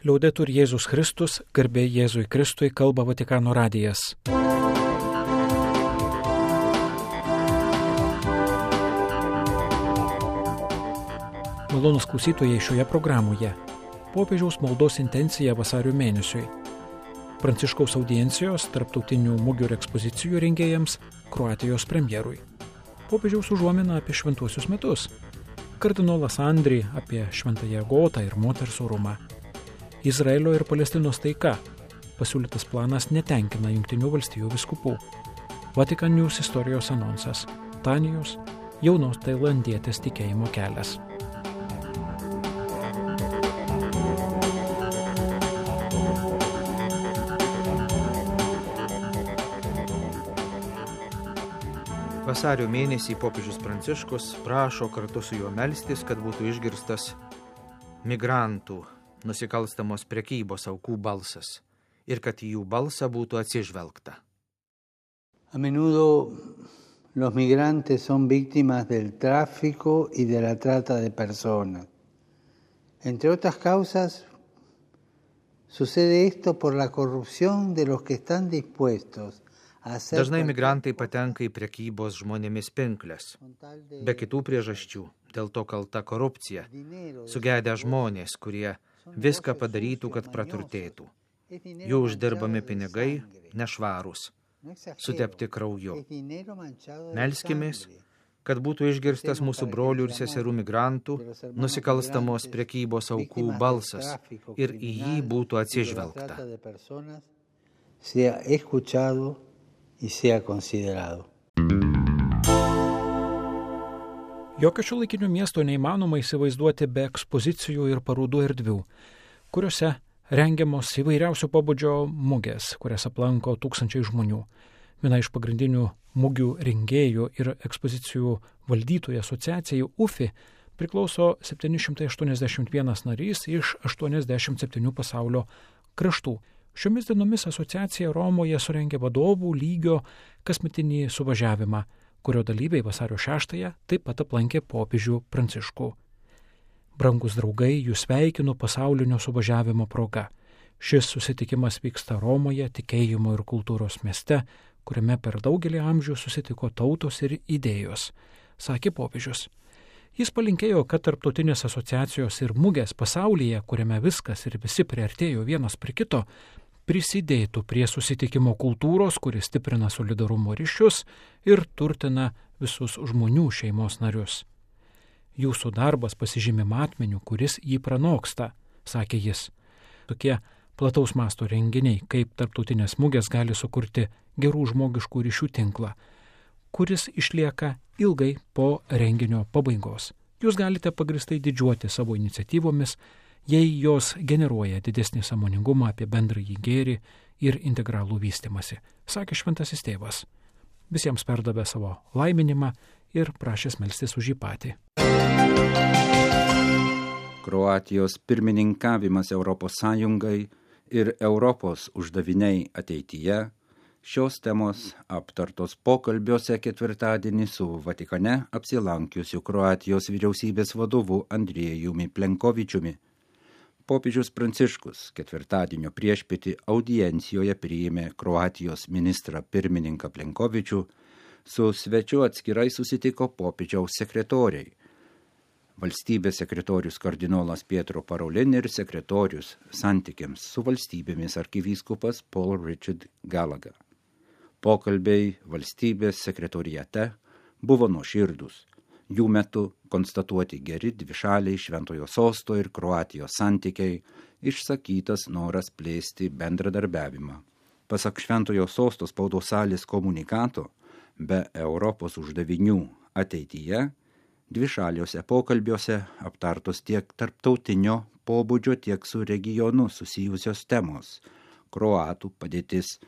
Liaudetur Jėzus Kristus, garbė Jėzui Kristui, kalba Vatikano radijas. Malonūs klausytojai, šioje programoje popiežiaus maldos intencija vasario mėnesiui, Pranciškaus audiencijos tarptautinių mugių ir ekspozicijų rengėjams, Kroatijos premjerui, popiežiaus užuomina apie šventuosius metus, kardinolas Andri apie šventąją Agotą ir moters orumą, Izraelio ir Palestinos taika, pasiūlytas planas netenkina Jungtinių valstijų vyskupų, Vatican News istorijos anonsas, Tanijos, jaunos tailandietės tikėjimo kelias. Vasario mėnesį popiežius Pranciškus prašo kartu su juo melstis, kad būtų išgirstas migrantų, nusikalstamos prekybos aukų balsas ir kad į jų balsą būtų atsižvelgta. A menudo los migrantes son víctimas del tráfico y de la trata de personas. Entre otras causas, sucede esto por la corrupción de los que están dispuestos. Dažnai migrantai patenka į prekybos žmonėmis pinkles. Be kitų priežasčių, dėl to kalta korupcija, sugedę žmonės, kurie viską padarytų, kad praturtėtų. Jų uždirbami pinigai nešvarūs, sutepti krauju. Melskimės, kad būtų išgirstas mūsų brolių ir seserų migrantų, nusikalstamos prekybos aukų balsas ir į jį būtų atsižvelgta. Y sea considerado. Jokio šiuolaikinio miesto neįmanoma įsivaizduoti be ekspozicijų ir parodų erdvių, kuriuose rengiamos įvairiausio pobūdžio mugės, kurias aplanko tūkstančiai žmonių. Viena iš pagrindinių mugių rengėjų ir ekspozicijų valdytojų asociacijai UFI priklauso 781 narys iš 87 pasaulio kraštų. Šiomis dienomis asociacija Romoje surengė vadovų lygio kasmetinį suvažiavimą, kurio dalyviai vasario 6-ąją taip pat aplankė popiežių Pranciškų. Brangus draugai, jūs sveikinu pasaulinio suvažiavimo proga. Šis susitikimas vyksta Romoje, tikėjimo ir kultūros mieste, kuriame per daugelį amžių susitiko tautos ir idėjos, sakė popiežius. Jis palinkėjo, kad tarptautinės asociacijos ir mugės pasaulyje, kuriame viskas ir visi priartėjo vienas prie kito, prisidėtų prie susitikimo kultūros, kuris stiprina solidarumo ryšius ir turtina visus žmonių šeimos narius. Jūsų darbas pasižymi matmeniu, kuris jį pranoksta, sakė jis. Tokie plataus masto renginiai, kaip tarptautinės mugės, gali sukurti gerų žmogiškų ryšių tinklą, kuris išlieka ilgai po renginio pabaigos. Jūs galite pagristai didžiuoti savo iniciatyvomis, jei jos generuoja didesnį sąmoningumą apie bendrąjį gėrį ir integralų vystimąsi, sakė šventasis tėvas. Visiems perdavė savo laiminimą ir prašęs melstis už jį patį. Kroatijos pirmininkavimas Europos Sąjungai ir Europos uždaviniai ateityje - šios temos aptartos pokalbiuose ketvirtadienį su Vatikane apsilankiusiu Kroatijos vyriausybės vadovu Andriejumi Plenkovičiumi. Popiežius Pranciškus ketvirtadienio priešpietį audiencijoje priėmė Kroatijos ministrą pirmininką Plenkovičių, su svečiu atskirai susitiko popiežiaus sekretoriai. Valstybės sekretorius kardinolas Pietro Parolin ir sekretorius santykiams su valstybėmis arkivyskupas Paul Richard Gallagher. Pokalbiai valstybės sekretoriate buvo nuoširdūs. Jų metu konstatuoti geri dvišaliai Šventojo Sosto ir Kroatijos santykiai, išsakytas noras plėsti bendradarbiavimą. Pasak Šventojo Sosto spaudos salės komunikato, be Europos uždavinių ateityje, dvišaliuose pokalbiuose aptartos tiek tarptautinio pobūdžio, tiek su regionu susijusios temos – kroatų padėtis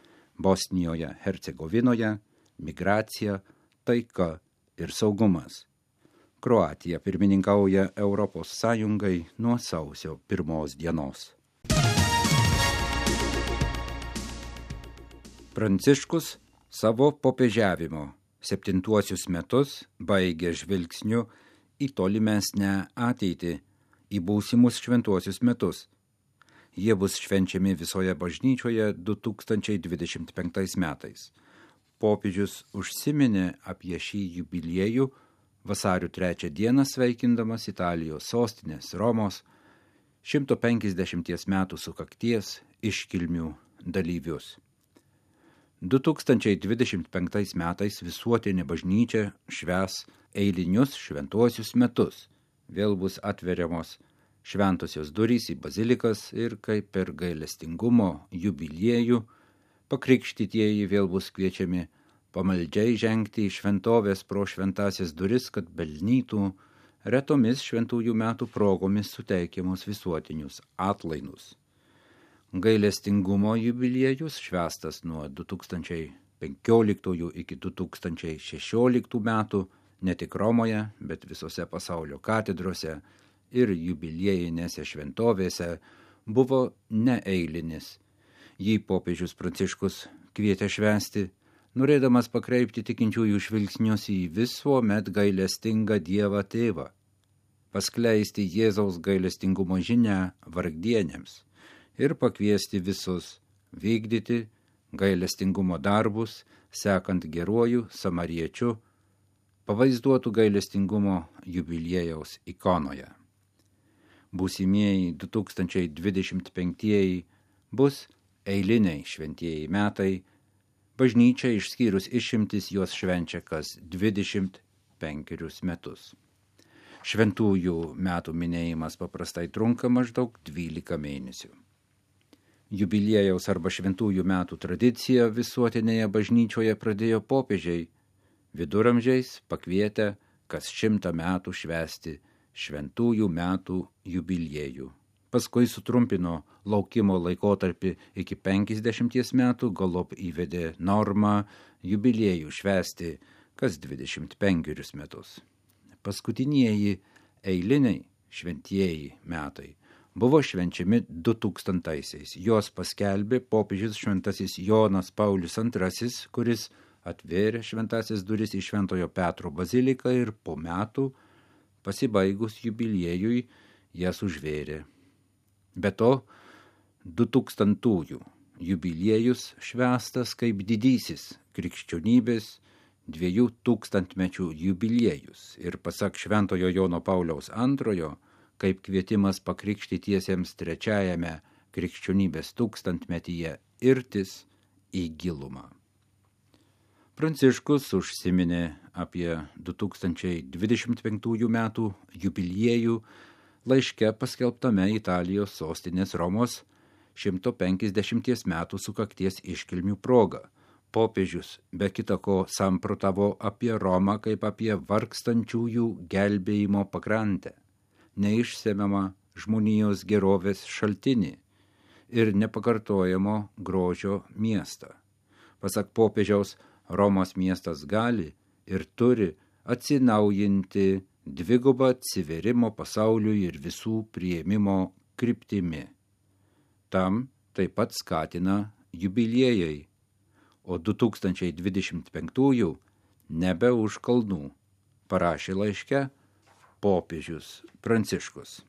Bosnijoje, Hercegovinoje, migracija, taika ir saugumas. Kroatija pirmininkauja Europos Sąjungai nuo sausio 1 dienos. Pranciškus savo popiežiavimo 7 metus baigė žvilgsniu į tolimesnę ateitį, į būsimus šventuosius metus. Jie bus švenčiami visoje bažnyčioje 2025 metais. Popiežius užsiminė apie šį jubiliejų vasario 3 dieną sveikindamas Italijos sostinės Romos 150 metų sukakties iškilmių dalyvius. 2025 metais visuotinė bažnyčia švęs eilinius šventuosius metus. Vėl bus atveriamos šventosios durys į bazilikas ir kaip per gailestingumo jubiliejų pakrikštytieji vėl bus kviečiami pamaldžiai žengti į šventovės pro šventasias duris, kad pelnytų retomis šventųjų metų progomis suteikiamus visuotinius atlaidus. Gailestingumo jubiliejus švęstas nuo 2015 iki 2016 metų ne tik Romoje, bet visose pasaulio katedrose ir jubiliejinėse šventovėse buvo neeilinis. Jį popiežius Pranciškus kvietė švęsti, norėdamas pakreipti tikinčiųjų žvilgsnius į visuomet gailestingą Dievą Tėvą, paskleisti Jėzaus gailestingumo žinią vargdienėms ir pakviesti visus vykdyti gailestingumo darbus, sekant geruoju samariečiu, pavaizduotų gailestingumo jubiliejaus ikonoje. Būsimieji 2025 bus eiliniai šventieji metai, bažnyčia išskyrus išimtis juos švenčia kas 25 metus. Šventųjų metų minėjimas paprastai trunka maždaug 12 mėnesių. Jubiliejaus arba šventųjų metų tradicija visuotinėje bažnyčioje pradėjo popiežiai, viduramžiais pakvietę kas 100 metų švęsti šventųjų metų jubiliejų. Paskui sutrumpino laukimo laikotarpį iki 50 metų, galop įvedė normą jubiliejų švęsti kas 25 metus. Paskutinieji eiliniai šventieji metai buvo švenčiami 2000-aisiais. Jos paskelbė popiežius šventasis Jonas Paulius II, kuris atvėrė šventasias duris į Šventojo Petro baziliką ir po metų, pasibaigus jubiliejui, jas užvėrė. Be to, 2000-ųjų jubiliejus švęstas kaip didysis krikščionybės 2000-mečių jubiliejus ir pasak Šventojo Jono Pauliaus II, kaip kvietimas pakrikštytiesiems 3-ajame krikščionybės 1000-metyje irtis į gilumą. Pranciškus užsiminė apie 2025 metų jubiliejų laiške paskelbtame Italijos sostinės Romos 150 metų sukakties iškilmių proga. Popiežius be kita ko samprotavo apie Romą kaip apie vargstančiųjų gelbėjimo pakrantę, neišsemiamą žmonijos gerovės šaltinį ir nepakartojamo grožio miestą. Pasak popiežiaus, Romos miestas gali ir turi atsinaujinti dvigubą atsivėrimo pasauliui ir visų priėmimo kryptimi. Tam taip pat skatina jubiliejai, o 2025 nebe už kalnų, parašė laiške popiežius Pranciškus.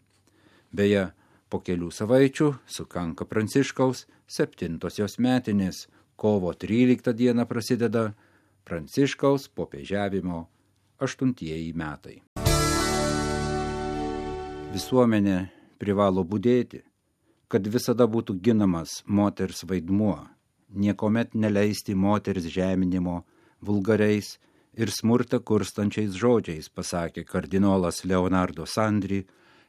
Beje, po kelių savaičių sukanka Pranciškaus 7-osios metinės, kovo 13 dieną prasideda Pranciškaus popiežiavimo 8-ieji metai. Visuomenė privalo budėti, kad visada būtų ginamas moters vaidmuo, niekomet neleisti moters žeminimo vulgariais ir smurtą kurstančiais žodžiais, pasakė kardinolas Leonardo Sandri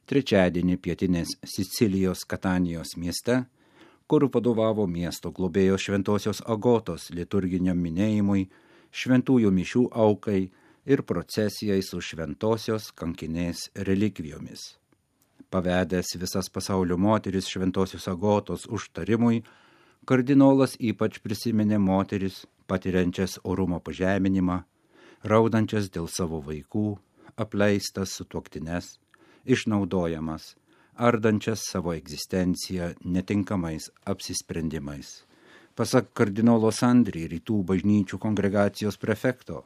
trečiadienį pietinės Sicilijos Katanijos mieste, kur vadovavo miesto globėjos Šventosios Agotos liturginiam minėjimui, šventųjų mišių aukai ir procesijai su šventosios kankinės relikvijomis. Pavedęs visas pasaulio moteris Šventosios Agotos užtarimui, kardinolas ypač prisiminė moteris, patiriančias orumo pažeminimą, raudančias dėl savo vaikų, apleistas sutuoktines, išnaudojamas, ardančias savo egzistenciją netinkamais apsisprendimais. Pasak kardinolo Sandri, rytų bažnyčių kongregacijos prefekto,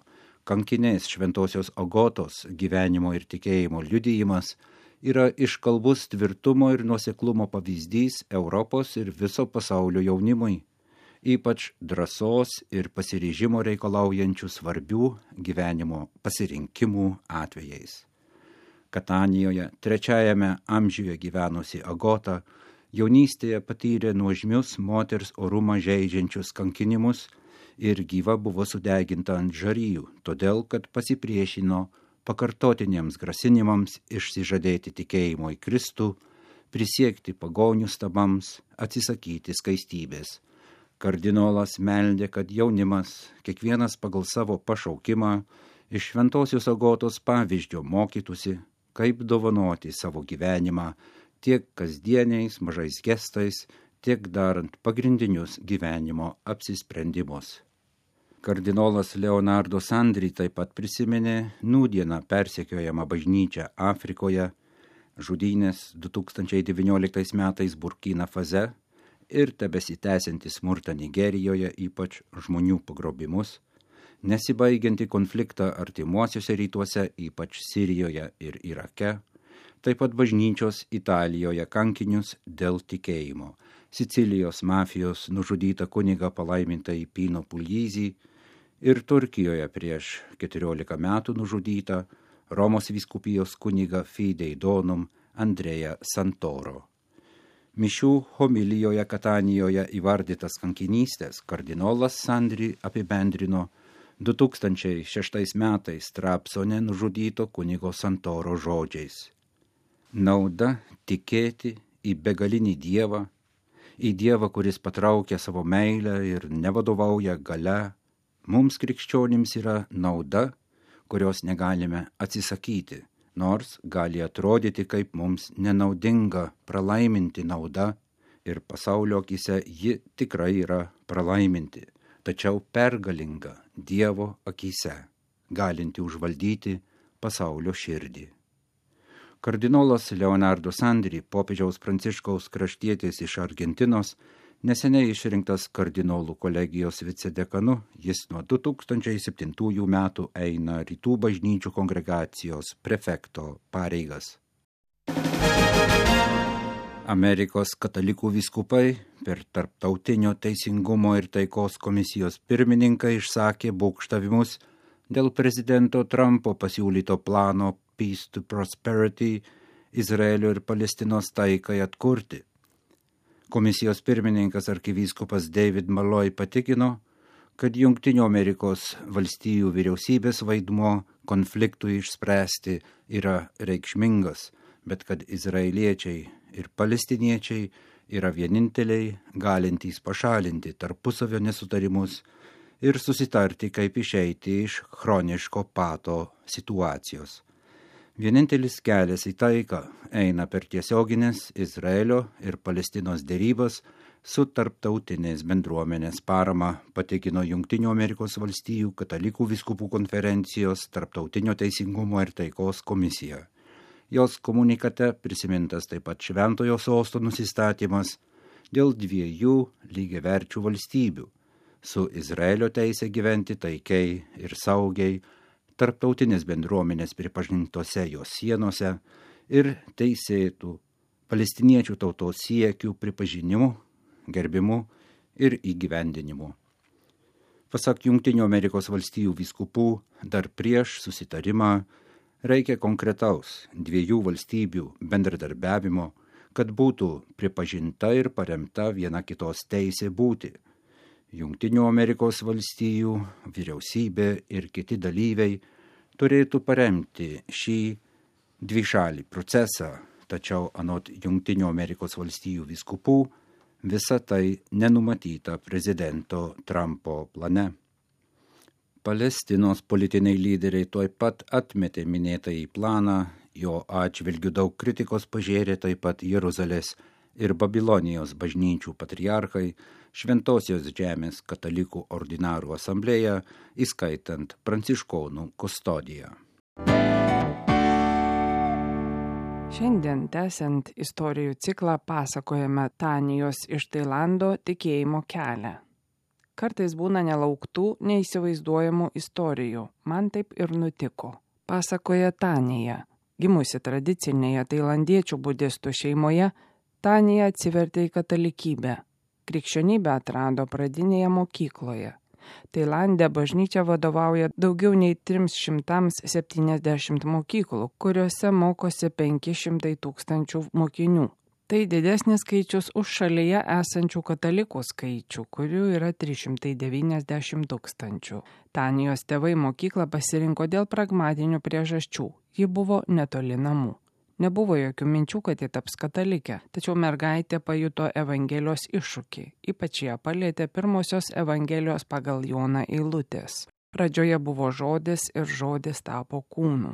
kankinės Šventosios Agotos gyvenimo ir tikėjimo liudijimas yra iškalbus tvirtumo ir nuoseklumo pavyzdys Europos ir viso pasaulio jaunimui, ypač drąsos ir pasiryžimo reikalaujančių svarbių gyvenimo pasirinkimų atvejais. Katanijoje 3 amžiuje gyvenusi Agota jaunystėje patyrė nuožmius moters orumą žeidžiančius kankinimus ir gyva buvo sudeginta ant žarijų, todėl kad pasipriešino pakartotiniems grasinimams išsižadėti tikėjimo į Kristų, prisiekti pagonių stabams, atsisakyti skaistybės. Kardinolas meldė, kad jaunimas, kiekvienas pagal savo pašaukimą, iš šventosios Agotos pavyzdžio mokytųsi, kaip dovanoti savo gyvenimą tiek kasdieniais mažais gestais, tiek darant pagrindinius gyvenimo apsisprendimus. Kardinolas Leonardo Sandri taip pat prisiminė nūdieną persekiojamą bažnyčią Afrikoje, žudynės 2019 metais Burkina Faze ir tebesitęsiantį smurtą Nigerijoje, ypač žmonių pagrobimus, nesibaigiantį konfliktą artimuosiuose rytuose, ypač Sirijoje ir Irake, taip pat bažnyčios Italijoje kankinius dėl tikėjimo, Sicilijos mafijos nužudytą kunigą palaimintąjį Pino Puglisi ir Turkijoje prieš 14 metų nužudytą Romos vyskupijos kunigą Fidei Donum Andreja Santoro. Mišių homilijoje Katanijoje įvardytas kankinystės kardinolas Sandri apibendrino 2006 metais Trabzone nužudyto kunigo Santoro žodžiais. Nauda tikėti į begalinį Dievą, į Dievą, kuris patraukia savo meilę ir nevadovauja galia, mums krikščionims yra nauda, kurios negalime atsisakyti, nors gali atrodyti kaip mums nenaudinga pralaiminti nauda ir pasaulio akyse ji tikrai yra pralaiminti, tačiau pergalinga Dievo akyse, galinti užvaldyti pasaulio širdį. Kardinolas Leonardo Sandri, popiežiaus Pranciškaus kraštietis iš Argentinos, neseniai išrinktas kardinolų kolegijos vicedekanu, jis nuo 2007 metų eina Rytų bažnyčių kongregacijos prefekto pareigas. Amerikos katalikų vyskupai per Tarptautinio teisingumo ir taikos komisijos pirmininką išsakė būgštavimus dėl prezidento Trumpo pasiūlyto plano Peace to Prosperity Izraelio ir Palestinos taikai atkurti. Komisijos pirmininkas arkivyskupas David Malloy patikino, kad Jungtinių Amerikos valstijų vyriausybės vaidmuo konfliktui išspręsti yra reikšmingas, bet kad izraeliečiai ir palestiniečiai yra vieninteliai galintys pašalinti tarpusavio nesutarimus ir susitarti, kaip išeiti iš chroniško pato situacijos. Vienintelis kelias į taiką eina per tiesioginės Izraelio ir Palestinos derybas su tarptautinės bendruomenės parama, patikino Jungtinių Amerikos valstijų katalikų vyskupų konferencijos Tarptautinio teisingumo ir taikos komisija. Jos komunikate prisimintas taip pat Šventojo sosto nusistatymas dėl 2 lygiaverčių valstybių su Izraelio teisė gyventi taikiai ir saugiai, tarptautinės bendruomenės pripažintose jos sienose ir teisėtų palestiniečių tautos siekių pripažinimu, gerbimu ir įgyvendinimu. Pasak Jungtinių Amerikos valstijų vyskupų, dar prieš susitarimą reikia konkretaus 2 valstybių bendradarbiavimo, kad būtų pripažinta ir paremta viena kitos teisė būti. Jungtinių Amerikos valstijų vyriausybė ir kiti dalyviai turėtų paremti šį dvišalį procesą, tačiau anot Jungtinių Amerikos valstijų vyskupų visa tai nenumatyta prezidento Trumpo plane. Palestinos politiniai lyderiai tuoj pat atmetė minėtąjį planą, jo atžvilgiu daug kritikos pažėrė taip pat Jeruzalės ir Babilonijos bažnyčių patriarchai, Šventosios žemės katalikų ordinarų asamblėja, įskaitant pranciškonų kustodiją. Šiandien tęsiant istorijų ciklą pasakojame Tanijos iš Tailando tikėjimo kelią. Kartais būna nelauktų, neįsivaizduojamų istorijų. Man taip ir nutiko. Pasakoja Tanija. Gimusi tradicinėje tailandiečių budistų šeimoje, Tanija atsivertė į katalikybę. Krikščionybę atrado pradinėje mokykloje. Tailande bažnyčia vadovauja daugiau nei 370 mokyklų, kuriuose mokosi 500 000 mokinių. Tai didesnis skaičius už šalyje esančių katalikų skaičių, kurių yra 390 000. Tanijos tėvai mokyklą pasirinko dėl pragmatinių priežasčių. Ji buvo netoli namų. Nebuvo jokių minčių, kad ji taps katalikė, tačiau mergaitė pajuto Evangelijos iššūkį. Ypač ją palėtė pirmosios Evangelijos pagal Joną eilutės. Pradžioje buvo žodis ir žodis tapo kūnu.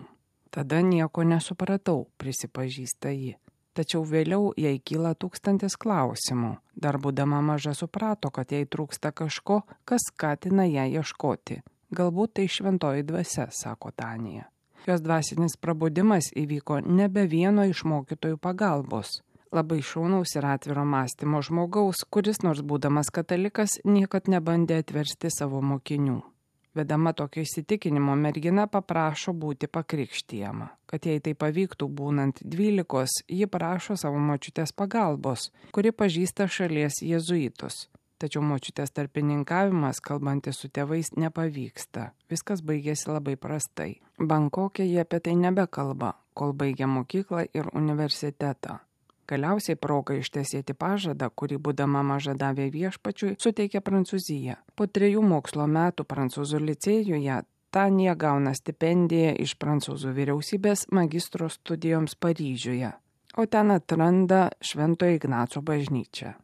Tada nieko nesupratau, prisipažįsta ji. Tačiau vėliau jai kyla 1000 klausimų. Dar būdama maža suprato, kad jai trūksta kažko, kas skatina ją ieškoti. Galbūt tai šventoji dvasia, sako Tanija. Jos dvasinis prabudimas įvyko nebe vieno iš mokytojų pagalbos. Labai šaunaus ir atviro mąstymo žmogaus, kuris nors būdamas katalikas niekad nebandė atversti savo mokinių. Vedama tokio įsitikinimo mergina paprašo būti pakrikštijama. Kad jai tai pavyktų būnant 12, ji prašo savo močiutės pagalbos, kuri pažįsta šalies jėzuitus. Tačiau močiutės tarpininkavimas, kalbantis su tėvais, nepavyksta. Viskas baigėsi labai prastai. Bankoke jie apie tai nebekalba, kol baigia mokyklą ir universitetą. Galiausiai proga ištesėti pažadą, kurį būdama maža davė viešpačiui, suteikė Prancūzija. Po 3 mokslo metų prancūzų licėjuje Tanija gauna stipendiją iš prancūzų vyriausybės magistro studijoms Paryžiuje, o ten atranda Šventojo Ignaco bažnyčią.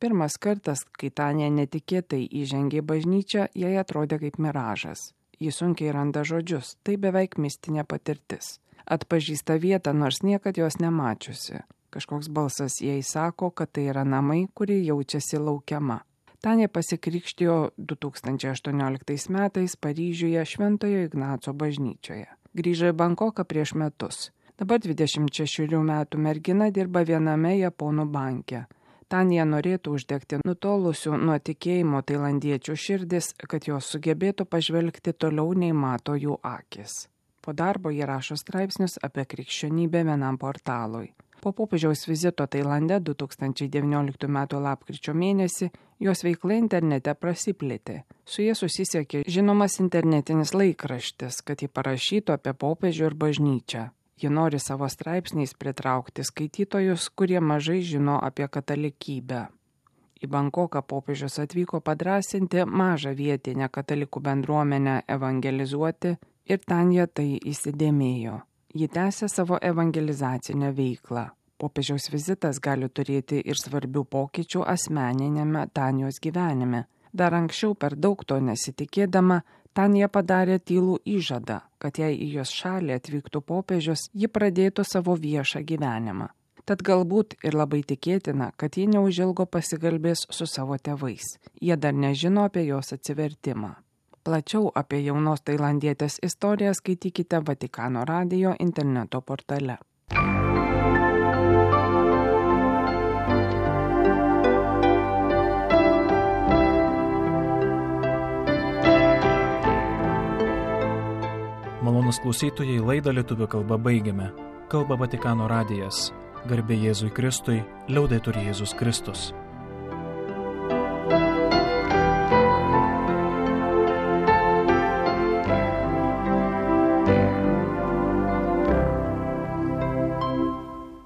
Pirmas kartas, kai Tanija netikėtai įžengė bažnyčią, jai atrodė kaip miražas. Ji sunkiai randa žodžius, tai beveik mistinė patirtis. Atpažįsta vietą, nors niekad jos nemačiusi. Kažkoks balsas jai sako, kad tai yra namai, kurie jaučiasi laukiama. Tanija pasikrikštijo 2018 metais Paryžiuje Šventojo Ignaco bažnyčioje. Grįžo į Bankoką prieš metus. Dabar 26 metų mergina dirba viename japonų banke. Tanija norėtų uždegti nutolusių nuo tikėjimo tailandiečių širdis, kad jos sugebėtų pažvelgti toliau nei mato jų akis. Po darbo ji rašo straipsnius apie krikščionybę vienam portalui. Po popiežiaus vizito Tailande 2019 m. lapkričio mėnesį jos veikla internete prasiplėtė. Su jie susisiekė žinomas internetinis laikraštis, kad ji parašytų apie popiežių ir bažnyčią. Ji nori savo straipsniais pritraukti skaitytojus, kurie mažai žino apie katalikybę. Į Bankoką popiežius atvyko padrąsinti mažą vietinę katalikų bendruomenę evangelizuoti ir Tanija tai įsidėmėjo. Ji tęsė savo evangelizacinę veiklą. Popiežiaus vizitas gali turėti ir svarbių pokyčių asmeninėme Tanijos gyvenime. Dar anksčiau per daug to nesitikėdama, Tanija padarė tylų įžadą, kad jei į jos šalį atvyktų popiežius, ji pradėtų savo viešą gyvenimą. Tad galbūt ir labai tikėtina, kad ji neužilgo pasikalbės su savo tėvais. Jie dar nežino apie jos atsivertimą. Plačiau apie jaunos tailandietės istoriją skaitykite Vatikano radijo interneto portale. Malonus klausytojai, laidą lietuvių kalba baigiame. Kalba Vatikano radijas. Garbė Jėzui Kristui, liaudetur Jėzus Kristus.